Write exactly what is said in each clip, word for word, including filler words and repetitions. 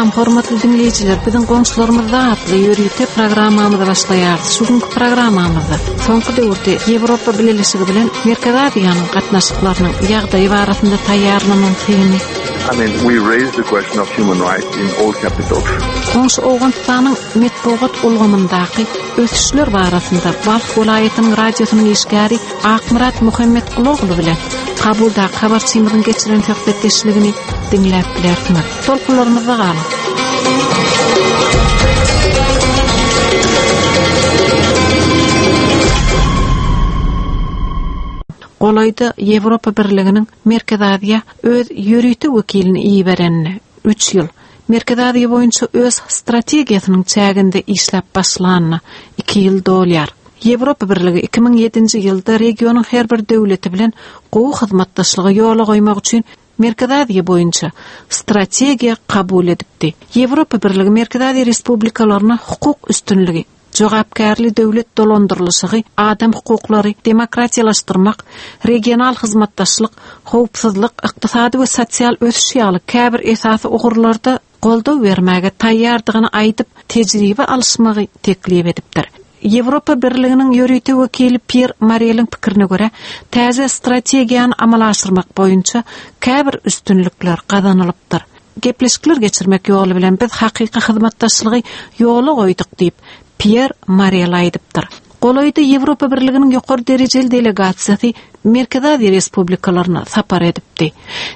Salam hormatly diňleýjiler, biziň goňşularymyzda atly ýörite programmamyzy başlaýarys. Şu günki programmamyzda soňky döwürde Ýewropa Bileleşigi bilen Merkezi Aziýanyň gatnaşyklarynyň ýagdaýy barasynda taýýarlanan syny. I mean, we raised the question of human rights in all capitals. Goňşy Owganystanyň metbugat ulgamyndaky ösüşler barasynda Balh welaýatynyň radiosynyň işgäri Akmyrat Muhammetguloğlu bilen Kabuldaky habarçymyzyň geçiren söhbetdeşligini diňläp bilersiňiz. Tolkunlarymyzda galyň. Golaýda Ýewropa Birliginiň Merkezi Aziýa öz ýörite wekilini iberenine üç ýyl, Merkezi Aziýa boýunça öz strategiýasynyň çäginde işläp başlanyna iki ýyl dolýar. Ýewropa Birligi iki müň ýedinji ýylda regionyň her bir döwleti bilen gowy hyzmatdaşlygy ýola goýmak üçin Merkezi Aziýa boýunça strategiýa kabul edipdi. Ýewropa Birligi Merkezi Aziýa Respublikalaryna hukuk üstünligi, jogapkärli döwlet dolandyrylyşygy, adam hukuklary, demokratiýalaşdyrmak, regional hyzmatdaşlyk, howpsuzlyk, ykdysady we sosial ösüş ýaly käbir esasy ugurlarda goldaw bermäge taýýardygyny aýdyp, tejribe alyşmagy teklip edipdir. Ýewropa Birliginiň ýörite wekili Pier Moreliň pikirine görä, täze strategiýany amala aşyrmak boýunça käbir üstünlikler gazanylypdyr. Gepleşikler geçirmek ýoly bilen biz hakyky hyzmatdaşlygy ýola goýduk diýip, Pier Morel aýdypdyr. Golaýda Ýewropa Birliginiň ýokary derejeli delegasiýasy Merkezi Aziýa Respublikalaryna sapar edipdi.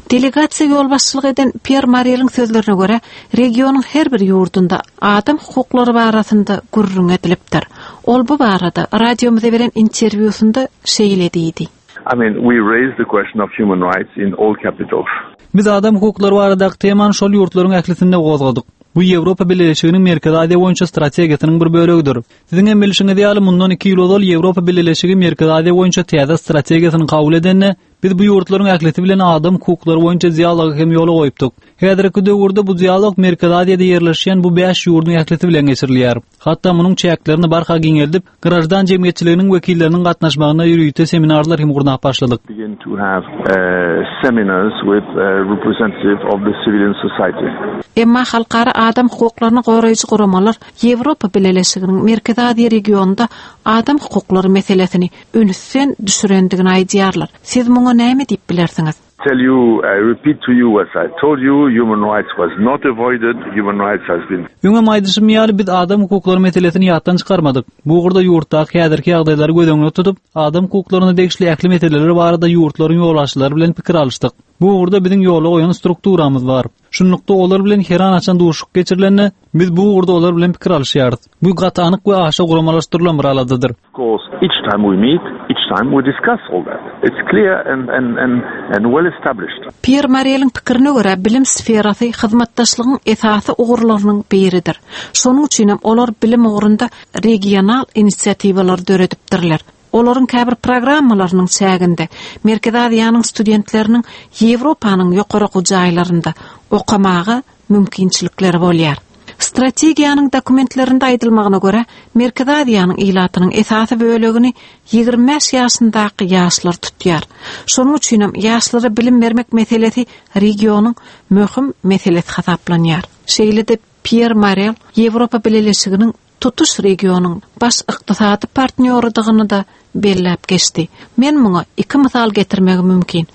Delegasiýa ýolbaşçylyk eden Pier Moreliň sözlerine görä, regionyň her bir ýurdunda adam hukuklary barasynda gürrüň edilipdir. Ol bu barada radiomyza beren interwýusynda şeýle diýdi. I mean, we raised the question of human rights in all capitals. Biz adam hukuklary baradaky temany şol ýurtlaryň ählisinde gozgadyk. Bu Ýewropa Bileleşiginiň Merkezi Aziýa boýunça strategiýasynyň bir bölegidir. Siziň hem bilşiňiz ýaly, mundan iki ýyl ozal Ýewropa Bileleşigi Merkezi Aziýa boýunça täze strategiýasyny kabul edende, biz bu ýurtlaryň ählisi bilen adam hukuklary boýunça dialogy hem ýola goýupdyk. Häzirki döwürde bu dialog Merkezi Aziýada ýerleşýän bu bäş ýurduň ählisi bilen geçirilýär. Hatda munuň çäklerini barha giňeldip, graždan jemgyýetçiliginiň wekilleriniň gatnaşmagyna ýörite seminarlar hem gurnap başladyk. Begin to have, uh, seminars with, uh, representative of the civilian society. Emma halkara adam hukuklaryny goraýjy guramalar Ýewropa Bileleşiginiň Merkezi Aziýa regionynda adam hukuklary meselesini ünsden düşürendigini aýdýarlar. Siz muňa näme diýip bilersiňiz? Tell you, I repeat to you what I told you, human rights was not avoided, human rights has been... Öňem aýdyşym ýaly biz adam hukuklary meselesini ýatdan çykarmadyk. Bu ugurda ýurtdaky häzirki ýagdaýlary göz öňünde tutup, adam hukuklaryna degişli ähli meseleler barada ýurtlaryň ýolbaşçylary bilen pikir alyşdyk. Bu ugurda biziň ýola goýan strukturamyz bar. Şunlukda olar bilen her an açan duşuk geçirilende biz bu ugurda olar bilen pikir alyşýarys. Bu gaty anyk we aşa guramalaşdyrylan bir aladadyr. Of course, each time we meet, each time we discuss all that. It's clear and, and, and, and well established. Pier Moreliň pikirine görä bilim sferasy hyzmatdaşlygyň esasy ugurlarynyň biridir. Şonuň üçin hem olar bilim ugrunda regional inisiatiwalar döredipdirler. Olaryň käbir programmalarynyň çäginde Merkezi Aziýanyň studentleriniň Ýewropanyň ýokary okuw jaýlarynda okamaga mümkinçilikleri bolýar. Strategiýanyň dokumentlerinde aýdylmagyna görä, Merkezi Aziýanyň ilatynyň esasy bölegini ýigrimi bäş ýaşyndaky ýaşlar tutýar. Şonuň üçin hem ýaşlara bilim bermek meselesi regionyň möhüm meselesi hasaplanýar. Şeýle-de Pier Morel Ýewropa Bileleşiginiň tutuş regionyň baş ykdysady partnýorydygyny da belläp geçdi. Men muňa iki mysal getirmegi mümkin.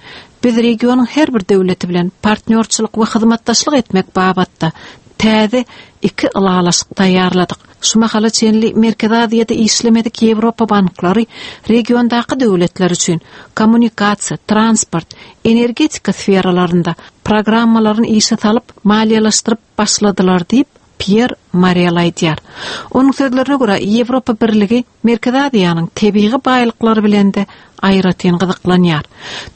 Biz regionyň her bir döwleti bilen partnýorçylyk we hyzmatdaşlyk etmek babatda täze iki ylalaşyk taýýarladyk. Şu mahala çenli Merkezi Aziýada işlemedik Ýewropa banklary regiondaky döwletler üçin kommunikasiýa, transport, energetika sferalarynda programmalaryny işe salyp, maliýeleşdirip başladylar diýip Pier Morel aýdýar. Onuň sözlerine görä Ýewropa Birligi Merkezi Aziýanyň tebigy baýlyklary bilen de aýratyn gyzyklanýar.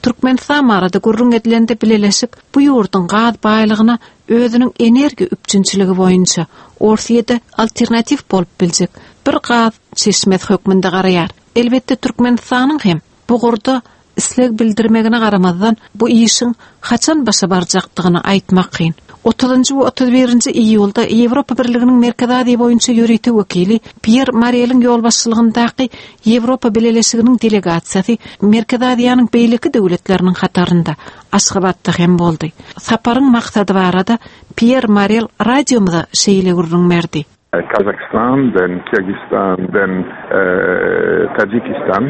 Türkmenistan barada gürrüň edilende bileleşik bu ýurduň gaz baýlygyna özüniň energiýa üpjünçiligi boýunça Orsiýada alternatiw bolup biljek bir gaz çeşmesi hökmünde garaýar. Elbetde Türkmenistanyň hem bu ugurda isleg bildirmegine garamazdan bu işiň haçan başa barjakdygyny aýtmak kyn. Otuzunjy we otuz birinji iýulda Ýewropa Birliginiň Merkezi Aziýa boýunça ýörite wekili Pýer Moreliň ýolbaşçylygyndaky Ýewropa Bileleşiginiň delegasiýasy Merkezi Aziýanyň beýleki döwletleriniň hatarynda Aşgabatda hem boldy. Saparyň maksady barada Pýer Morel radiomyza şeýle gürrüň berdi. Kazakhstan, then Kyrgyzstan, then uh, Tajikistan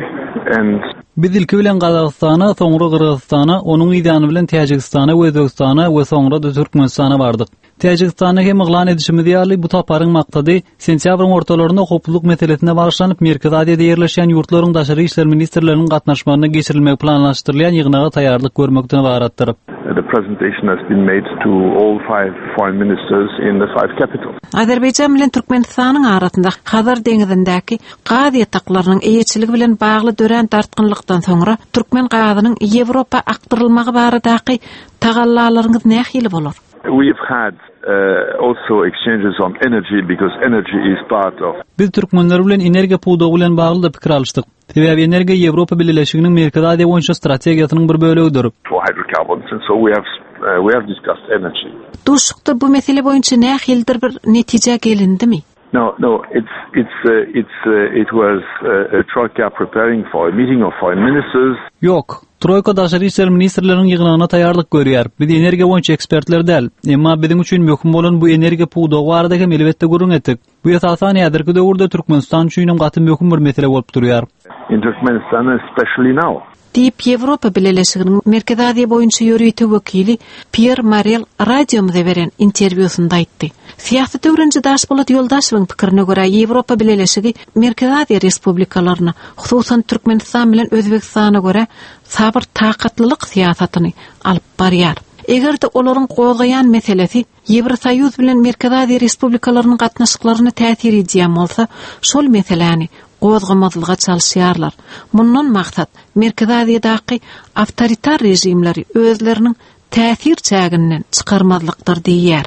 and Biz ilki bilen Gazagystana, soňra Gyrgyzystana, onuň ýany bilen Täjigistana we Özbegistana we soňra da Türkmenistana bardyk. Täjigistana hem yglan edişimiz ýaly bu saparyň maksady sentýabryň ortalarynda howpsuzlyk meselesine bagyşlanyp Merkezi Aziýada ýerleşýän ýurtlaryň daşary işler ministrleriniň gatnaşmagyna geçirilmegi planlaşdyrylýan ýygnaga taýýarlyk görmekden ybaratdyr. The presentation has been made to all five foreign ministers in the five capitals. Azerbaýjan bilen Türkmenistanyň arasynda Hazar deňizindäki gaz ýataklarynyň eýeçiligi bilen bagly dörän dartgynlykdan soňra türkmen gazynyň Ýewropa akdyrylmagy baradaky tagallalaryňyz nähili bolar? We've had uh, also exchanges on energy because energy is part of Biz türkmenler bilen energiýa pudagy bilen bagly da pikir alyşdyk. Sebäbi energiýa Ýewropa Bileleşiginiň Merkezi Aziýa boýunça strategiýasynyň bir bölegidir. for hydrocarbons and so we have uh, we have discussed energy. Duşuşykda bu mesele boýunça nähilidir bir netije gelindimi? No, no, it's it's uh, it's uh, it was uh, a troika preparing for a meeting of foreign ministers. Ýok, Troika daşary işler ministrleriniň ýygnagyna taýýarlyk görýär. Biz energiýa boýunça ekspertler däl, emma biziň üçin möhüm bolan bu energiýa pudagy barada hem elbetde gürrüň etdik. Bu esasan häzirki döwürde Türkmenistan üçin hem gaty möhüm bir mesele bolup durýar. In Turkmenistan especially now. Diýip Ýewropa Bileleşiginiň Merkezi Aziýa boýunça ýörite wekili Pýer Morel radiomyza beren interwýusynda aýtdy. Syýasat öwreniji Daşpolat Ýoldaşowyň pikirine görä Ýewropa Bileleşigi Merkezi Aziýa respublikalaryna, hususan Türkmenistan bilen Özbegistana görä sabyr takatlylyk syýasatyny alyp barýar. Eger-de olaryň gozgaýan meselesi Ýewrosoýuz bilen Merkezi Aziýa respublikalarynyň gatnaşyklaryna täsir edýän bolsa, şol meseläni gozgamazlyga çalyşýarlar. Mundan maksat Merkezi Aziýadaky awtoritar režimleri özleriniň täsir çäginden çykarmazlykdyr diýýär.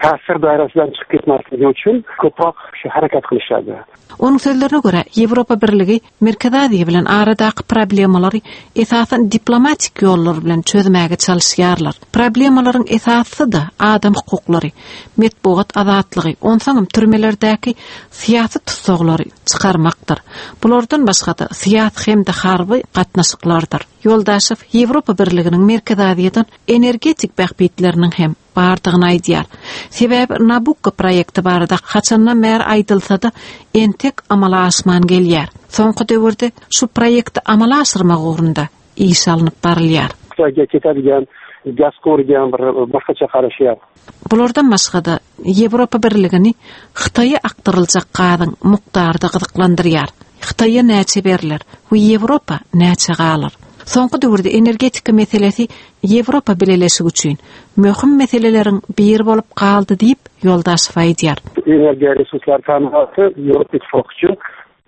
Ta'sir doirasidan chiqib ketmasligi uchun ko'proq shu harakat qilishadi. Onuň sözlerine görä Ýewropa Birligi Merkezi Aziýa bilen aradaky problemalary esasan diplomatik ýollar bilen çözmäge çalyşýarlar. Problemalaryň esasy-da adam hukuklary, metbugat azatlygy, onsoňam türmelerdäki syýasy tutsaglary çykarmakdyr. Bulardan başga-da syýasy hem-de harby gatnaşyklardyr. Ýoldaşow Ýewropa Birliginiň Merkezi Aziýadan energetik bähbitleriniň hem bardygyny aýdýar. Sebäbi Nabucco proýekti barada haçandan bäri aýdylsa-da entek amala aşman gelýär. Soňky döwürde şu proýekti amala aşyrmak ugrunda iş alnyp barylýar. Xitoyga ketadigan gaz quvuriga ham bir boshqacha qarashyapti. Bulardan başga-da Ýewropa Birligini Hytaýa akdyryljak gazyň mukdary gyzyklandyrýar. Hytaýa näçe berler we Ýewropa näçe galar? Soňky döwürde energetika meselesi Ýewropa Bileleşigi üçin möhüm meseleleriň biri bolup galdy diýip Ýoldaşow aýdýar. Energiya resurslari ta'minoti Yevropa ittifoqi uchun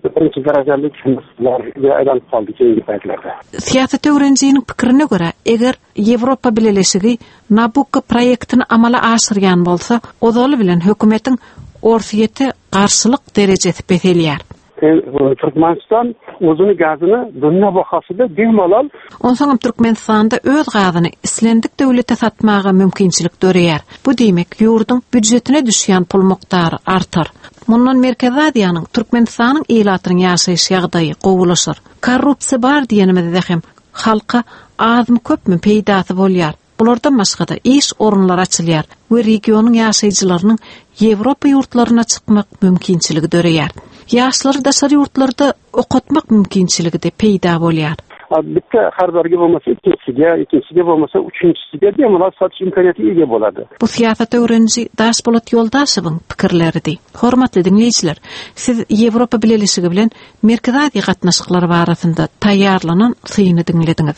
birinchi darajali masalalarga aylanib qoldi keyingi paytlarda. Syýasat öwrenijiniň pikirine görä, eger Ýewropa Bileleşigi Nabucco proýektini amala aşyrýan bolsa, ozaly bilen hökümetiň Orsyýete garşylyk derejesi peselýär. Türkmenistan o'zini gazini dunyo bahosida bemalol Onsoňam Türkmenistanda öz gazyny islendik döwlete satmaga mümkinçilik döreýär. Bu diýmek ýurduň býujetine düşýän pul mukdary artar. Mundan Merkezi Aziýanyň Türkmenistanyň ilatynyň ýaşaýyş ýagdaýy gowulaşar. Korrupsiýa bar diýenimizde hem halka azmy köpmi peýdasy bolýar. Bulardan başga-da iş orunlary açylýar we regionyň ýaşaýjylarynyň Ýewropa ýurtlaryna çykmak mümkinçiligi döreýär. Ýaşlary daşary ýurtlarda okatmak mümkinçiligi de peýda bolýar. Bitta xaridorga bo'lmasa ikkinchisiga, ikkinchisiga bo'lmasa uchinchisiga bemalol sotish imkoniyatiga ega bo'ladi. Bu syýasat öwreniji Daşpolat Ýoldaşowyň pikirleridi. Hormatly diňleýjiler, siz Ýewropa Bileleşigi bilen Merkezi Aziýa gatnaşyklary barasynda taýýarlanan syny diňlediňiz.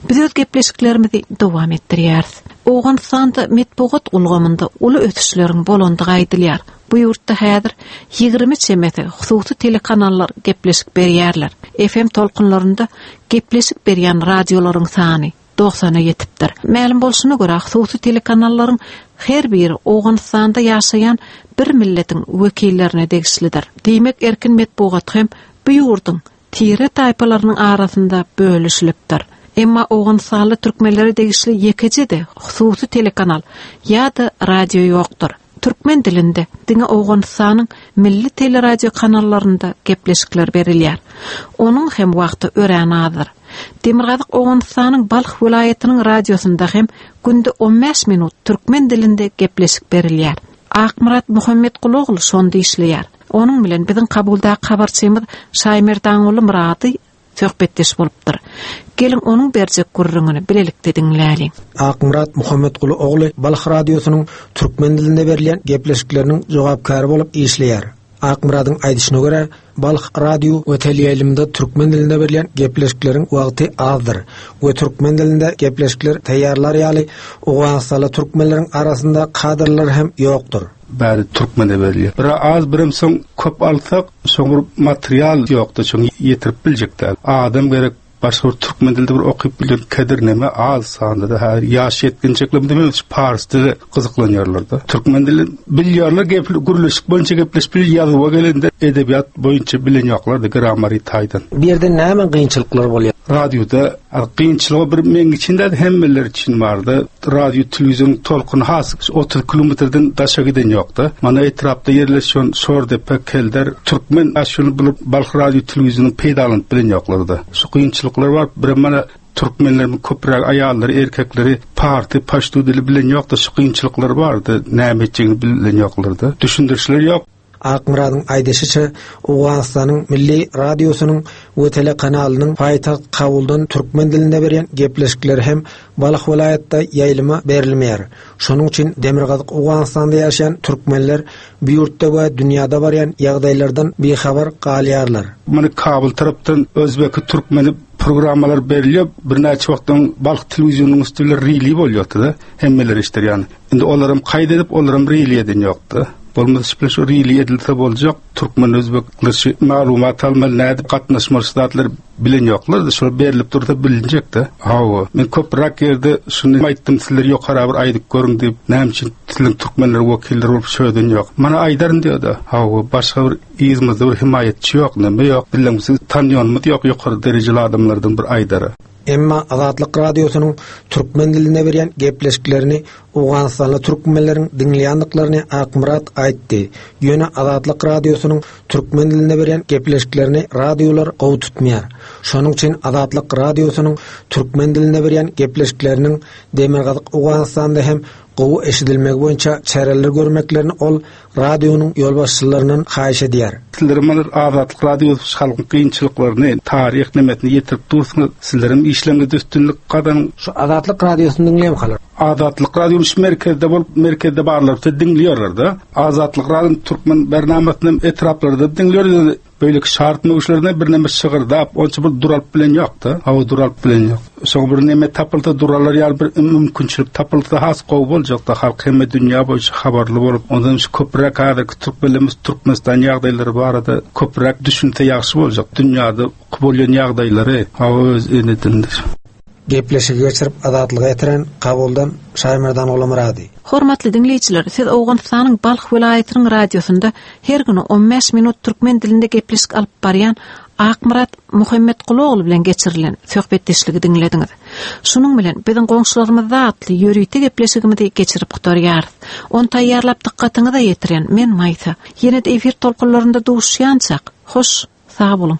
Biz öz gepleşiklerimizi dowam etdirýäris. Owganystanda metbugat ulgamynda uly ösüşleriň bolandygy aýdylýar. Bu ýurtda häzir ýigrimi çemesi hususy telekanallar gepleşik berýärler. F M tolkunlarynda gepleşik berýän radiolaryň sany dogsana ýetipdir. Mälim bolşuna görä hususy telekanallaryň Her biri Owganystanda ýaşaýan bir milletiň wekillerine degişlidir. Diýmek erkin metbugat hem bu ýurduň tire taýpalarynyň arasynda bölüşilipdir. Emma Owganystanly türkmenlere degişli ýekeje-de hususy telekanal ýa-da radio ýokdur. Türkmen dilinde diňe Owganystanyň milli teleradio kanallarynda gepleşikler berilýär. Onuň hem wagty örän azdyr. Demirgazyk Owganystanyň Balh welaýatynyň radiosynda hem günde on bäş minut türkmen dilinde gepleşik berilýär. Akmyrat Muhammetguloğlu şonda işleýär. Onuň bilen biziň Kabuldaky habarçymyz Şaýmerdanguly Myrady söhbetdeş bolupdyr. Gelin onuň berjek gürrüňini bilelikde diňläliň. Akmyrat Muhammetguly ogly Balh radiosynyň türkmen dilinde berilýän gepleşikleriniň jogapkary bolup işleýär. Akmyradyň aýdyşyna görä, Balh radio we teleýaýlymda türkmen dilinde berilýän gepleşikleriň wagty azdyr we türkmen dilinde gepleşikler taýýarlar ýaly Owganystanly türkmenleriň arasynda kadrlar hem ýokdur. Bäri türkmene berilýär. Bir az birim soň köp alsak, soň bir material ýokdy, soň ýetirip biljek däl. Adam gerek, başga bir türkmen dilde bir okyp bilen kedir neme az sanda da her ýaş ýetginjekler demek pars dili gyzyklanýarlar da. Türkmen dili bilýärler, gep gürleşik boýunça gepleşip bil, ýazuwa gelende edebiýat boýunça bilen ýoklar da grammary taýdan. Bu ýerde näme kynçylyklar bolýar? Radioda kynçylygy bir meň içinde hemmeler üçin bardy. Radio telewizion tolkun has otuz kilometrden daşa giden ýokdy. Mana etrapda ýerleşen Şordepe, Kelder, türkmen aşyny bulup Balh radio telewizionyň peýdalanyp bilen ýoklardy. Şu kynçylyklar bar. Bir mana türkmenleriň köpräk aýallary, erkekleri parti, paştu dili bilen ýokdy. Şu kynçylyklar bardy. Näme etjegini bilen ýoklardy. Düşündirişler ýok. Akmyradyň aýdyşyça, Owganystanyň Milli radiosynyň we telekanalynyň paýtagt Kabuldan türkmen dilinde berýän gepleşikleri hem Balh welaýatda ýaýlyma berilmeýär. Şonuň üçin Demirgazyk Owganystanda ýaşaýan türkmenler bu ýurtda we dünýäde barýan ýagdaýlardan bihabar galýarlar. Muny Kabul tarapdan özbeki türkmeni programmalar berilýär. Birnäçe wagtdan Balh telewizionynyň üstüne rili bolýardy-da, hemmeler işler ýany. Indi olaram kaýt edip, olaram rili eden ýokdy. Bolmasa şübhe şu rili edilse boljak, türkmen özbekler maglumat almaly, nädip gatnaşmaly zatlar bilen ýoklar, şol berilip dursa bilinjekdi. Hawa, men köpräk ýerde şuny aýtdym, sizler ýokara bir aýdyp görüň diýip, näme üçin sizler türkmenler wekiller bolup şöýden ýok. Mana aýdaryn diýdi. Hawa, başga bir yzmyzda bir himaýatçy ýok, näme ýok, bilen siz tanýanymyz ýok, ýokary derejeli adamlardan bir aýdara. Emma Azatlyk radiosynyň türkmen dilinde berýän gepleşiklerini Owganystanly türkmenleriň diňleýändiklerini Akmyrat aýtdy. Ýöne Azatlyk radiosynyň türkmen dilinde berýän gepleşiklerini radiolar gowy tutmaýar. Şonuň üçin Azatlyk radiosynyň türkmen dilinde berýän gepleşikleriniň Demirgazyk Owganystanda hem gowy eşidilmegi boýunça çäreler görmeklerini ol radionyň ýolbaşçylaryndan haýyş edýär. Sizleriň mana Azatlyk radiosy halkyň kynçylyklaryny, taryh nemetini ýetirip dursuňyz. Sizleriň işleriňizde üstünlik gazanyň. Şu Azatlyk radiosyny diňleýän halar. Azatlyk radiosy merkezde bolup, merkezde barlar diňleýärler da. Azatlyk radiosy türkmen bernamasyny etraplarda diňleýärler. Beýleki şart möwüşlerine bir neme şygyrdap, onça bir duralyp bilen ýokdy. Hawa duralyp bilen ýok. Soň bir neme tapylsa duralar ýaly bir mümkinçilik tapylsa has gowy boljakdy. Halk hemme dünýä boýunça habarly bolup, ondan şu köpräk häzirki türkmenlerimiz Türkmenistan ýagdaýlary barada köpräk düşünse ýagşy boljak. Dünýäde bolýan ýagdaýlary hawa öz enedendir. Gepleşigi geçirip Azatlyga ýetiren Kabuldan Şaýmerdan Gulamyrady. Hormatly diňleýjiler, siz Owganystanyň Balh welaýatynyň radiosynda her güni on bäş minut türkmen dilinde gepleşik alyp barýan Akmyrat Muhammetguloğlu bilen geçirilen söhbetdeşligi diňlediňiz. Şunuň bilen biziň goňşularymyzda atly ýörite gepleşigimizi geçirip gutarýarys. Ony taýýarlap dykgatyňyza ýetiren men Maýsa. Ýene-de efir tolkunlarynda duşýançak. Hoş, sag boluň.